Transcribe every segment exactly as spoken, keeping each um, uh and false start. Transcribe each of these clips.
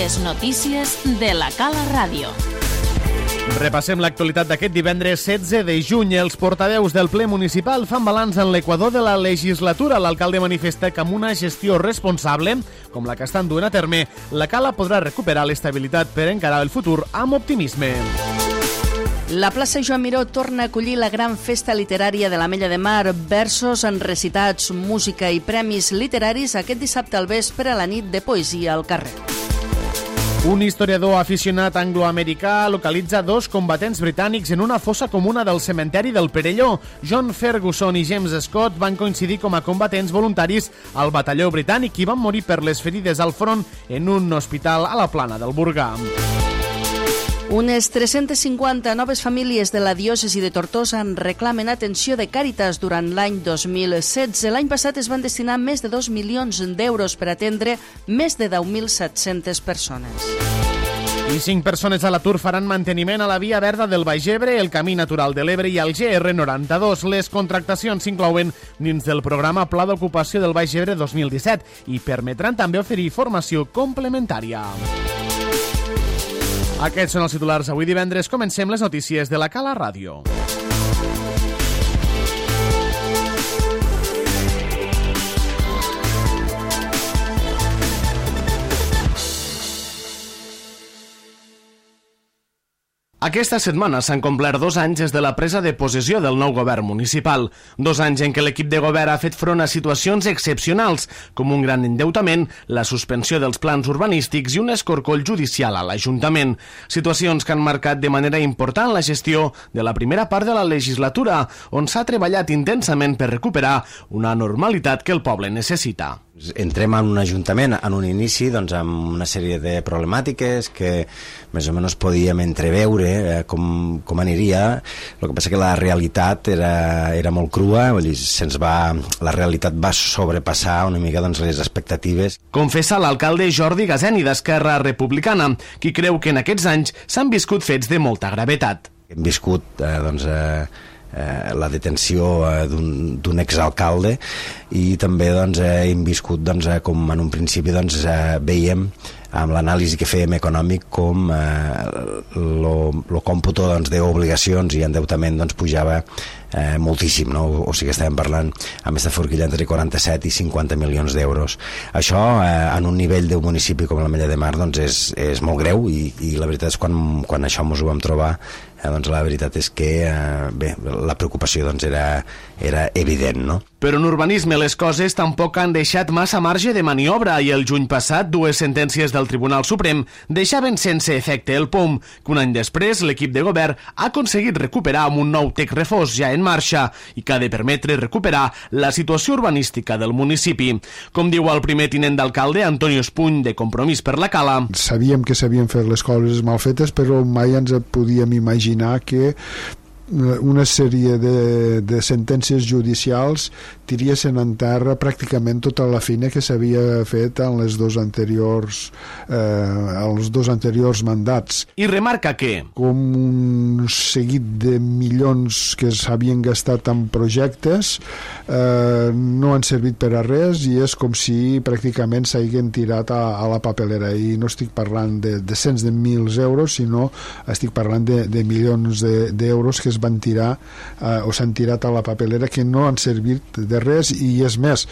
Les notícies de la Cala Ràdio. Repassem l'actualitat d'aquest divendres setze de juny. Els portaveus del ple municipal fan balanç en l'equador de la legislatura. L'alcalde manifesta que amb una gestió responsable, com la que estan duent a terme, la Cala podrà recuperar l'estabilitat per encarar el futur amb optimisme. La plaça Joan Miró torna a acollir la gran festa literària de l'Ametlla de Mar. Versos, recitats, música i premis literaris aquest dissabte al vespre a la nit de poesia al carrer. Un historiador aficionat angloamericà localitza dos combatents britànics en una fossa comuna del cementeri del Perelló. John Ferguson i James Scott van coincidir com a combatents voluntaris al batalló britànic i van morir per les ferides al front en un hospital a la plana del Burgà. Unes tres-centes cinquanta noves famílies de la diòcesi de Tortosa en reclamen atenció de Càritas durant l'any dos mil setze. L'any passat es van destinar més de dos milions d'euros per atendre més de deu mil set-centes persones. I cinc persones a l'atur faran manteniment a la via verda del Baix Ebre, el Camí Natural de l'Ebre i el G R noranta-dos. Les contractacions s'inclouen dins del programa Pla d'Ocupació del Baix Ebre dos mil disset i permetran també oferir formació complementària. Aquests són els titulars avui divendres. Comencem les notícies de la Cala Ràdio. Aquesta setmana s'han complert dos anys des de la presa de possessió del nou govern municipal. Dos anys en què l'equip de govern ha fet front a situacions excepcionals, com un gran endeutament, la suspensió dels plans urbanístics i un escorcoll judicial a l'Ajuntament. Situacions que han marcat de manera important la gestió de la primera part de la legislatura, on s'ha treballat intensament per recuperar una normalitat que el poble necessita. Entrem en un ajuntament en un inici doncs, amb una sèrie de problemàtiques que més o menys podíem entreveure eh, com, com aniria. El que passa que la realitat era, era molt crua, vull dir, se'ns va, la realitat va sobrepassar una mica doncs, les expectatives. Confessa l'alcalde Jordi Gazeni d'Esquerra Republicana, qui creu que en aquests anys s'han viscut fets de molta gravetat. Hem viscut eh, doncs, eh, Eh, la detenció eh, d'un exalcalde i també doncs, eh, hem viscut doncs, eh, com en un principi doncs, eh, veiem amb l'anàlisi que fèiem econòmic com el còmputo doncs, d'obligacions i endeutament doncs, pujava eh, moltíssim, no? O, o sigui que estàvem parlant amb aquesta forquilla entre quaranta-set i cinquanta milions d'euros. Això eh, en un nivell d'un municipi com l'Ametlla de Mar doncs, és, és molt greu i, i la veritat és quan, quan això ens ho vam trobar eh, doncs, la veritat és que eh, bé, la preocupació doncs, era, era evident, no? Però en urbanisme les coses tampoc han deixat massa marge de maniobra i el juny passat dues sentències del Tribunal Suprem deixaven sense efecte el P O M, que un any després l'equip de govern ha aconseguit recuperar amb un nou text refós ja en marxa i que ha de permetre recuperar la situació urbanística del municipi. Com diu el primer tinent d'alcalde, Antonio Espuny, de Compromís per la Cala. Sabíem que s'havien fet les coses mal fetes, però mai ens podíem imaginar que una sèrie de, de sentències judicials tiriessin en terra pràcticament tota la feina que s'havia fet en les dos anteriors eh, els dos anteriors mandats. I remarca que com un seguit de milions que s'havien gastat en projectes eh, no han servit per a res i és com si pràcticament s'hagin tirat a, a la papelera, i no estic parlant de, de cents de mils euros, sinó estic parlant de, de milions d'euros de, que es van tirar eh, o s'han tirat a la papelera, que no han servit de res, i és més,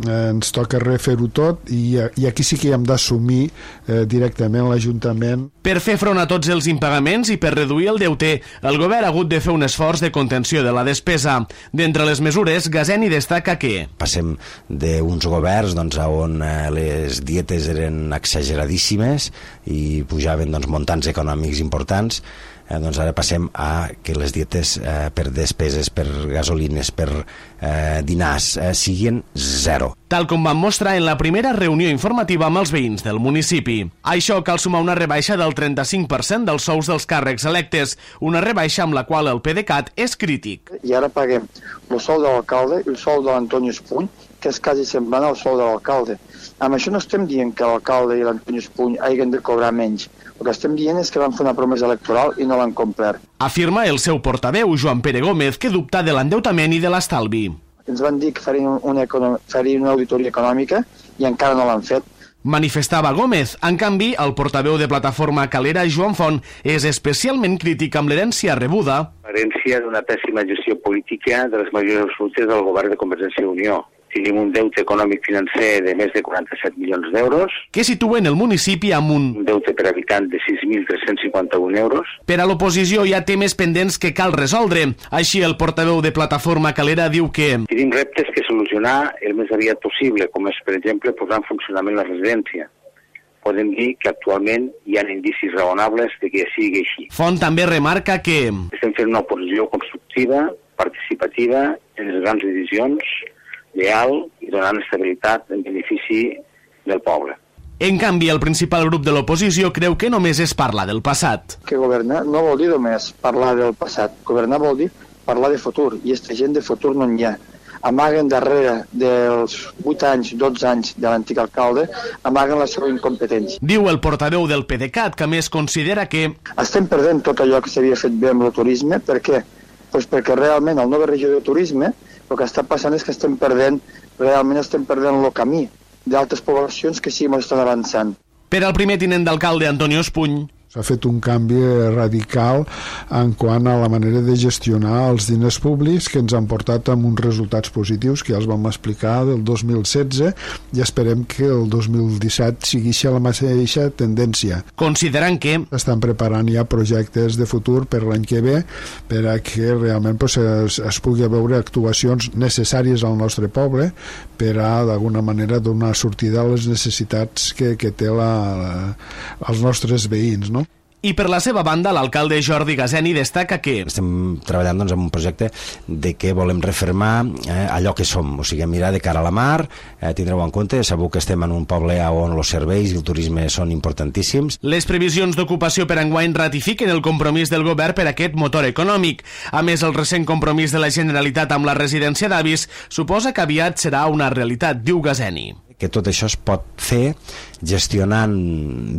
eh, ens toca refer-ho tot i, i aquí sí que hem d'assumir eh, directament l'Ajuntament. Per fer front a tots els impagaments i per reduir el deute, el govern ha hagut de fer un esforç de contenció de la despesa. D'entre les mesures, Gazeni destaca que passem d'uns governs doncs, on eh, les dietes eren exageradíssimes i pujaven doncs, montants econòmics importants. Eh, doncs ara passem a que les dietes eh, per despeses, per gasolines, per eh, dinars eh, siguin zero. Tal com vam mostrar en la primera reunió informativa amb els veïns del municipi. A això cal sumar una rebaixa del trenta-cinc per cent dels sous dels càrrecs electes, una rebaixa amb la qual el PDeCAT és crític. I ara paguem el sou de l'alcalde i el sou de l'Antonio Espuny, que és quasi semblant al sou de l'alcalde. Amb això no estem dient que l'alcalde i l'Antonio Espuny hagin de cobrar menys. El que estem dient és que van fer una promesa electoral i no l'han complert. Afirma el seu portaveu, Joan Pere Gómez, que dubta de l'endeutament i de l'estalvi. Ens van dir que farien una, farien una auditoria econòmica i encara no l'han fet. manifestava Gómez. En canvi, el portaveu de Plataforma Calera, Joan Font, és especialment crític amb l'herència rebuda. L'herència d'una pèssima gestió política de les majories absolutes del govern de Convergència i Unió. Tenim un deute econòmic financer de més de quaranta-set milions d'euros. Que situen el municipi amb un... Un deute per habitant de sis mil tres-cents cinquanta-un euros. Per a l'oposició hi ha temes pendents que cal resoldre. Així, el portaveu de Plataforma Calera diu que... Tenim reptes que solucionar el més aviat possible, com és, per exemple, posar en funcionament la residència. Podem dir que actualment hi ha indicis raonables de que sigui així. Font també remarca que... Estem fent una oposició constructiva, participativa, en les grans decisions, leal i donant estabilitat en benefici del poble. En canvi, el principal grup de l'oposició creu que només es parla del passat. Que governar no vol dir només parlar del passat. Governar vol dir parlar de futur, i aquesta gent de futur no n'hi ha. Amaguen darrere dels vuit anys, dotze anys de l'antic alcalde, amaguen la seva incompetència. Diu el portaveu del PDeCAT, que més considera que... Estem perdent tot allò que s'havia fet bé amb el turisme. Per què? Pues perquè realment el nova regió de turisme el que està passant és que estem perdent, realment estem perdent el camí d'altres poblacions que sí estan avançant. Per al primer tinent d'alcalde, Antonio Espuny, s'ha fet un canvi radical en quant a la manera de gestionar els diners públics que ens han portat amb uns resultats positius que ja els vam explicar del dos mil setze i esperem que el dos mil disset sigui la mateixa tendència. Considerant que... Estan preparant ja projectes de futur per l'any que ve per a que realment pues, es, es pugui veure actuacions necessàries al nostre poble per a d'alguna manera donar sortida a les necessitats que, que té la, la, els nostres veïns, no? I per la seva banda, l'alcalde Jordi Gazeni destaca que... Estem treballant doncs, en un projecte de que volem refermar eh, allò que som, o sigui, mirar de cara a la mar, eh, tindreu en compte, sabeu que estem en un poble on els serveis i el turisme són importantíssims. Les previsions d'ocupació per enguany ratifiquen el compromís del govern per aquest motor econòmic. A més, el recent compromís de la Generalitat amb la residència d'avis suposa que aviat serà una realitat, diu Gazeni. Que tot això es pot fer gestionant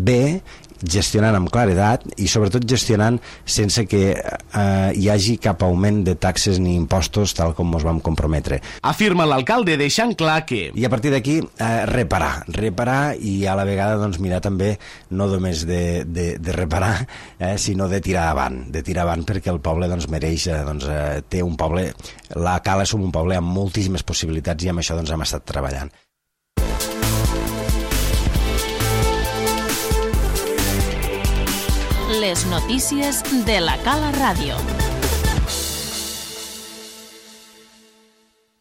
bé, gestionant amb claredat i sobretot gestionant sense que eh, hi hagi cap augment de taxes ni impostos tal com ens vam comprometre. Afirma l'alcalde deixant clar que... I a partir d'aquí eh, reparar, reparar i a la vegada doncs, mirar també no només de, de, de reparar eh, sinó de tirar avant, de tirar avant perquè el poble doncs, mereix, eh, doncs, eh, té un poble, la Cala som un poble amb moltíssimes possibilitats i amb això doncs, hem estat treballant. Les notícies de la Cala Ràdio.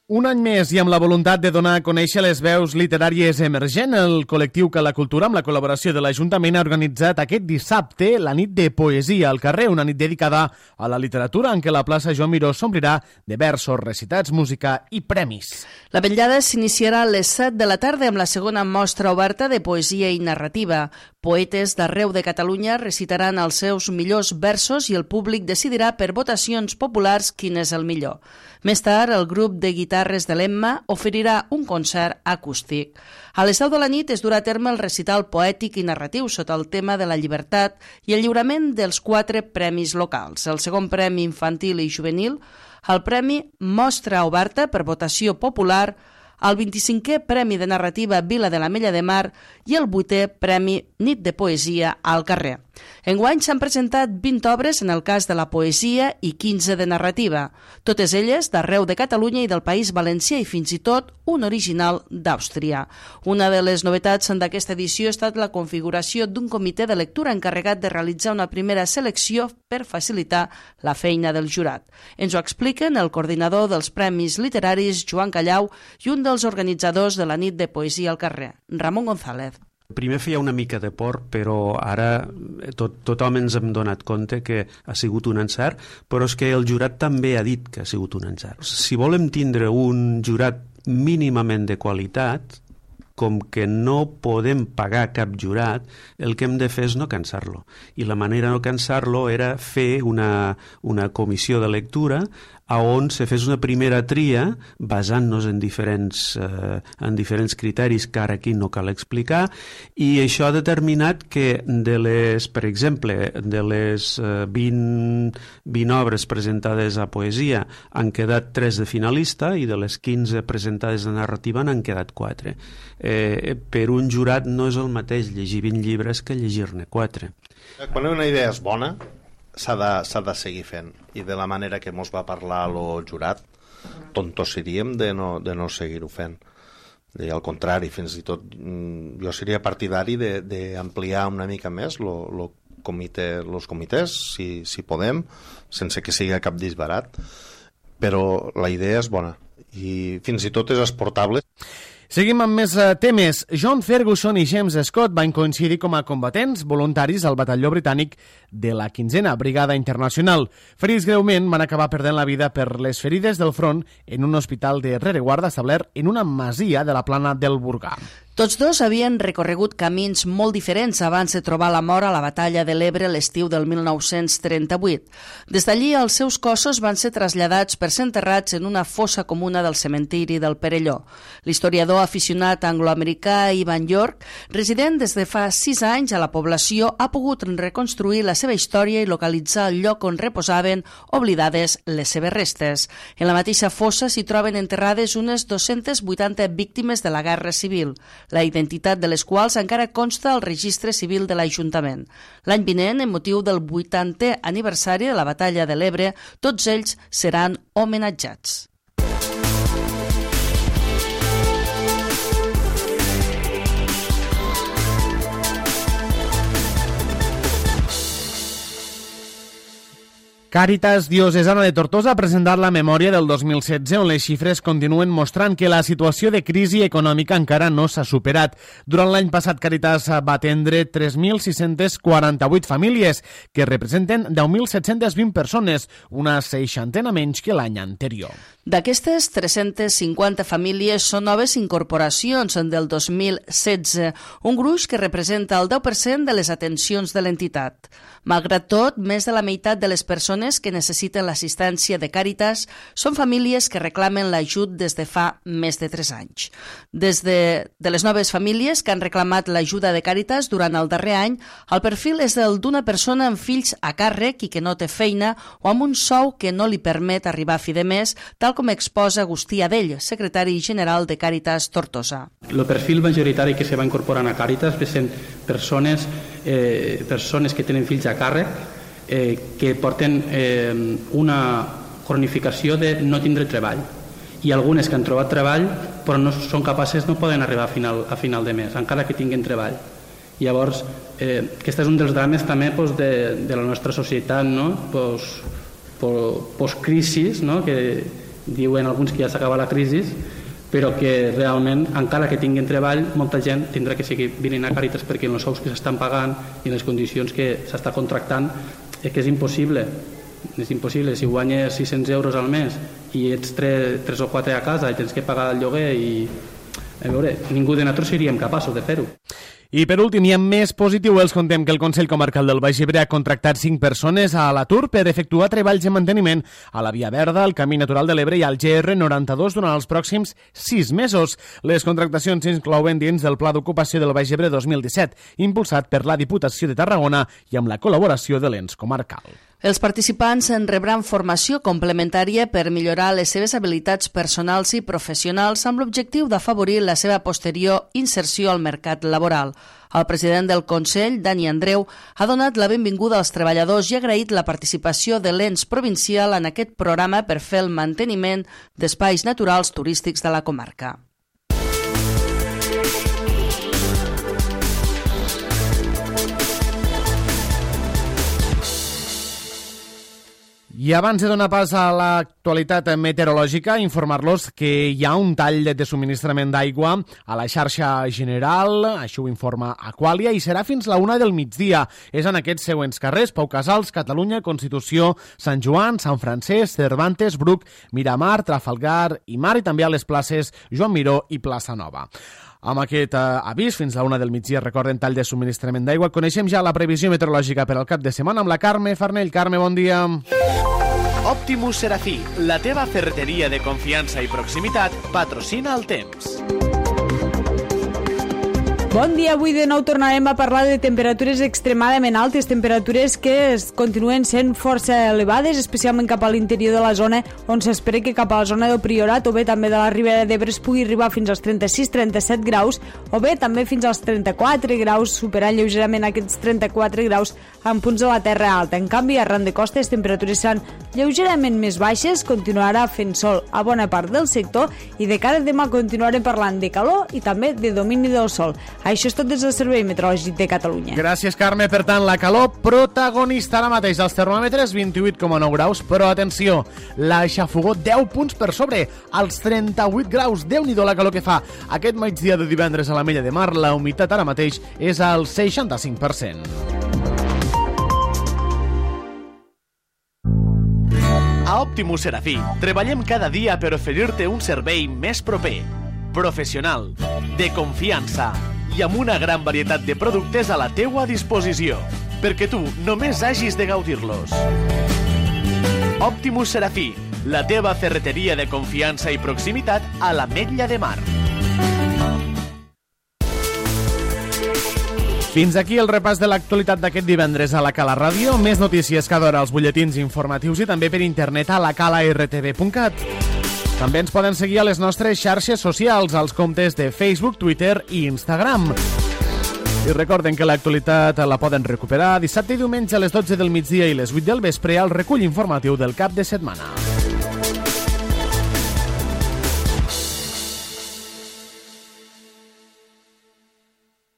Un any més i amb la voluntat de donar a conèixer les veus literàries emergent, el col·lectiu Cala Cultura, amb la col·laboració de l'Ajuntament, ha organitzat aquest dissabte la nit de poesia al carrer, una nit dedicada a la literatura en què la plaça Joan Miró s'omplirà de versos, recitats, música i premis. La vetllada s'iniciarà a les set de la tarda amb la segona mostra oberta de poesia i narrativa. Poetes d'arreu de Catalunya recitaran els seus millors versos i el públic decidirà per votacions populars quin és el millor. Més tard, el grup de guitarres de l'Emma oferirà un concert acústic. A les deu de la nit es durà a terme el recital poètic i narratiu sota el tema de la llibertat i el lliurament dels quatre premis locals. El segon premi infantil i juvenil, el premi Mostra Oberta per votació popular, el vint-i-cinquè Premi de Narrativa Vila de l'Ametlla de Mar i el vuitè Premi Nit de Poesia al carrer. Enguany s'han presentat vint obres en el cas de la poesia i quinze de narrativa, totes elles d'arreu de Catalunya i del País Valencià i fins i tot un original d'Àustria. Una de les novetats d'aquesta edició ha estat la configuració d'un comitè de lectura encarregat de realitzar una primera selecció per facilitar la feina del jurat. Ens ho expliquen el coordinador dels Premis Literaris, Joan Callau, i un dels organitzadors de la nit de poesia al carrer, Ramon González. Primer feia una mica de por, però ara tot, tothom ens hem donat compte que ha sigut un encert, però és que el jurat també ha dit que ha sigut un encert. Si volem tindre un jurat mínimament de qualitat, com que no podem pagar cap jurat, el que hem de fer és no cansar-lo. I la manera de no cansar-lo era fer una, una comissió de lectura a on se fes una primera tria basant-nos en diferents, eh, en diferents criteris que ara aquí no cal explicar, i això ha determinat que de les, per exemple, de les eh, vint, vint obres presentades a poesia han quedat tres de finalista i de les quinze presentades de narrativa n'han quedat quatre. Eh, per un jurat no és el mateix llegir vint llibres que llegir-ne quatre. Quan una idea és bona, s'ha de, s'ha de seguir fent, i de la manera que mos va parlar el jurat, tontos seríem de no, de no seguir-ho fent. I al contrari, fins i tot jo seria partidari d'ampliar una mica més lo, lo comitè, los comitès, si, si podem, sense que sigui cap disbarat, però la idea és bona i fins i tot és exportable. Seguim amb més uh, temes. John Ferguson i James Scott van coincidir com a combatents voluntaris al batalló britànic de la quinzena Brigada Internacional. Ferits greument, van acabar perdent la vida per les ferides del front en un hospital de rereguarda establert en una masia de la plana del Burgà. Tots dos havien recorregut camins molt diferents abans de trobar la mort a la batalla de l'Ebre l'estiu del mil nou-cents trenta-vuit. Des d'allí, els seus cossos van ser traslladats per ser enterrats en una fossa comuna del cementiri del Perelló. L'historiador aficionat angloamericà Ivan York, resident des de fa sis anys a la població, ha pogut reconstruir la seva història i localitzar el lloc on reposaven oblidades les seves restes. En la mateixa fossa s'hi troben enterrades unes dues-centes vuitanta víctimes de la Guerra Civil, la identitat de les quals encara consta al registre civil de l'Ajuntament. L'any vinent, en motiu del vuitantè aniversari de la batalla de l'Ebre, tots ells seran homenatjats. Càritas Diocesana de Tortosa ha presentat la memòria del dos mil setze, on les xifres continuen mostrant que la situació de crisi econòmica encara no s'ha superat. Durant l'any passat, Càritas va atendre tres mil sis-cents quaranta-vuit famílies, que representen deu mil set-cents vint persones, una seixantena menys que l'any anterior. D'aquestes, tres-centes cinquanta famílies són noves incorporacions del dos mil setze, un gruix que representa el deu per cent de les atencions de l'entitat. Malgrat tot, més de la meitat de les persones que necessiten l'assistència de Càritas són famílies que reclamen l'ajut des de fa més de tres anys. Des de, de les noves famílies que han reclamat l'ajuda de Càritas durant el darrer any, el perfil és el d'una persona amb fills a càrrec i que no té feina o amb un sou que no li permet arribar a fi de mes, tal com exposa Agustí Adell, secretari general de Càritas Tortosa. El perfil majoritari que se va incorporant a Càritas són persones, eh, persones que tenen fills a càrrec, eh, que porten eh, una cronificació de no tindre treball, i algunes que han trobat treball però no són capaces, no poden arribar a final, a final de mes, encara que tinguin treball. Llavors, eh, aquest és un dels drames també pues, de, de la nostra societat, no? Pues, post-crisis, no? Que diuen alguns que ja s'acaba la crisi, però que realment, encara que tinguin treball, molta gent tindrà que seguir venint a Càritas perquè en els sous que s'estan pagant i en les condicions que s'està contractant és que és impossible. És impossible. Si guanyes sis-cents euros al mes i ets tres, tres o quatre a casa i tens que pagar el lloguer, i a veure, ningú de nosaltres seríem capaços de fer-ho. I per últim, i amb més positiu, els contem que el Consell Comarcal del Baix Ebre ha contractat cinc persones a l'atur per efectuar treballs de manteniment a la Via Verda, al Camí Natural de l'Ebre i al G R noranta-dos durant els pròxims sis mesos. Les contractacions s'inclouen dins del Pla d'Ocupació del Baix Ebre dos mil disset, impulsat per la Diputació de Tarragona i amb la col·laboració de l'ens comarcal. Els participants en rebran formació complementària per millorar les seves habilitats personals i professionals amb l'objectiu d'afavorir la seva posterior inserció al mercat laboral. El president del Consell, Dani Andreu, ha donat la benvinguda als treballadors i ha agraït la participació de l'ens provincial en aquest programa per fer el manteniment d'espais naturals turístics de la comarca. I abans de donar pas a l'actualitat meteorològica, informar-los que hi ha un tall de subministrament d'aigua a la xarxa general, això ho informa Aquàlia, i serà fins la una del migdia. És en aquests següents carrers: Pau Casals, Catalunya, Constitució, Sant Joan, Sant Francesc, Cervantes, Bruc, Miramar, Trafalgar i Mar, i també a les places Joan Miró i Plaça Nova. Amb aquest eh, avís, fins a la una del migdia, recorden, tall de subministrament d'aigua. Coneixem ja la previsió meteorològica per al cap de setmana amb la Carme Farnell. Carme, bon dia. Optimus Serafí, la teva ferreteria de confiança i proximitat, patrocina el temps. Bon dia, avui de nou tornarem a parlar de temperatures extremadament altes, temperatures que es continuen sent força elevades, especialment cap a l'interior de la zona, on s'espera que cap a la zona del Priorat o bé també de la Ribera d'Ebre es pugui arribar fins als trenta-sis trenta-set graus, o bé també fins als trenta-quatre graus, superant lleugerament aquests trenta-quatre graus en punts de la Terra Alta. En canvi, arran de costa, les temperatures seran lleugerament més baixes, continuarà fent sol a bona part del sector i de cara a demà continuarem parlant de calor i també de domini del sol. Això és tot des del Servei Meteorològic de Catalunya. Gràcies, Carme. Per tant, la calor protagonista ara mateix. Els termòmetres vint-i-vuit coma nou graus, però atenció, la xafogó deu punts per sobre, als trenta-vuit graus. Déu-n'hi-do la calor que fa. Aquest migdia de divendres a l'Ametlla de Mar, la humitat ara mateix és al seixanta-cinc per cent. A Optimus Serafí treballem cada dia per oferir-te un servei més proper, professional, de confiança i amb una gran varietat de productes a la teua disposició, perquè tu només hagis de gaudir-los. Optimus Serafí, la teva ferreteria de confiança i proximitat a l'Ametlla de Mar. Fins aquí el repàs de l'actualitat d'aquest divendres a la Cala Ràdio. Més notícies cada hora als butlletins informatius i també per internet a la cala r t v punt cat. També ens poden seguir a les nostres xarxes socials, als comptes de Facebook, Twitter i Instagram. I recorden que l'actualitat la poden recuperar dissabte i diumenge a les dotze del migdia i les vuit del vespre al recull informatiu del cap de setmana.